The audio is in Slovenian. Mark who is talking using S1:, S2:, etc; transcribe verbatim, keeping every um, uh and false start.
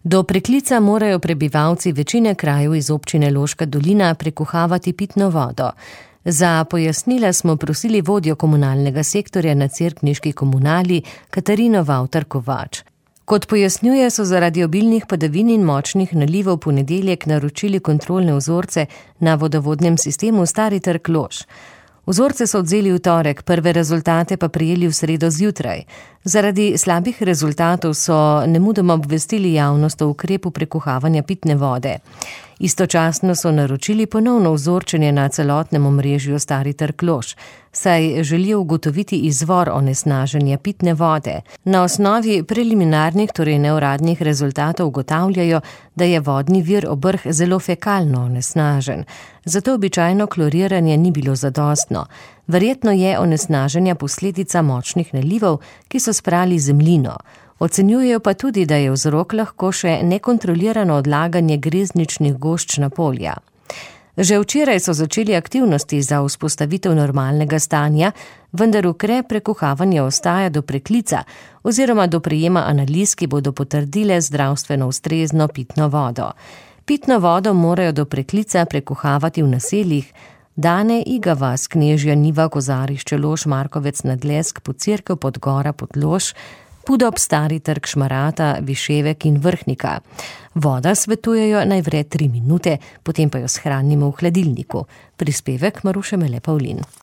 S1: Do Preklica morajo prebivalci večine krajev iz občine Loška dolina prekuhavati pitno vodo. Za pojasnila smo prosili vodjo komunalnega sektorja na cerkniški komunali Katarino Vavtar Kovač. Kot pojasnjuje, so zaradi obilnih padavin in močnih nalivov v ponedeljek naročili kontrolne vzorce na vodovodnem sistemu Stari trg Lož. Vzorce so odzeli v torek, prve rezultate pa prijeli v sredo zjutraj. Zaradi slabih rezultatov so nemudoma obvestili javnost o ukrepu prekuhavanja pitne vode. Istočasno so naročili ponovno vzorčenje na celotnem omrežju Stari trg Lož, saj želijo ugotoviti izvor onesnaženja pitne vode. Na osnovi preliminarnih, torej neuradnih rezultatov ugotavljajo, da je vodni vir Obrh zelo fekalno onesnažen. Zato običajno kloriranje ni bilo zadostno. Verjetno je onesnaženja posledica močnih nalivov, ki so sprali zemljino. Ocenjujejo pa tudi, da je vzrok lahko še nekontrolirano odlaganje grezničnih gošč na polja. Že včeraj so začeli aktivnosti za vzpostavitev normalnega stanja, vendar ukrep prekuhavanja ostaja do Preklica oziroma do prejema analiz, ki bodo potrdile zdravstveno ustrezno pitno vodo. Pitno vodo morajo do Preklica prekuhavati v naseljih Dane, Iga vas, Knežja, Niva, Kozarišče, Lož, Markovec, Nadlesk, Podcerkev, Podgora, Podlož, Pudob, Stari trg, Šmarata, Viševek in Vrhnika. Voda svetujejo naj vre tri minute, potem pa jo shranimo v hladilniku. Prispevek Maruše Mele Pavlin.